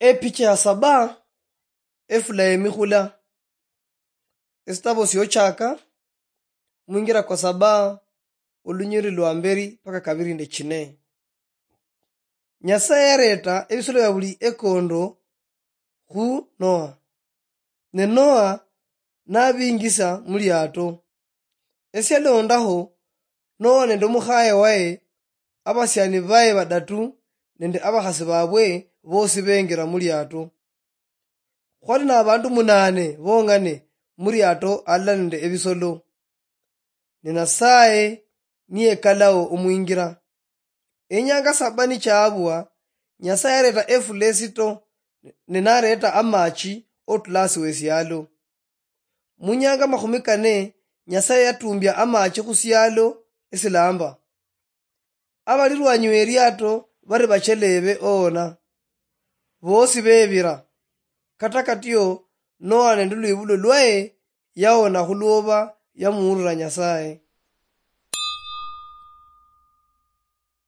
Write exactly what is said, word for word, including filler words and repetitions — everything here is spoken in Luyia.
Epicha ya saba. Efula yemikhula. Esitabo siochaka, mwingira kwa saba, olunyiri lwa mberi mpaka kabiri nende chine. Nyasaye yareta ebisolo bia buli ekondo khu Noa, ne Noa nabingisa muliato. Esialondaho, Noa nende omukhaye waye, abasiani baye badatu nende abakhasi babwe bosi bengira muliato. Khwali nabandu munane bong'ane muliato alala nende ebisolo. Ne Nasaye niyekalao omwingira. Enyanga saba nichaabwa, Nyasaye yareta efula esito, ne nareta amachi otulasi wesialo. Munyanga makhumi kane, Nyasaye yatumbia amachi khusialo esilamba. Abali lwanyi weriato bari bachelebe oona, bosi bebira. Kata katio, Noa nende lwibulo lwaye yaona khulwoba yamuurira Nyasaye.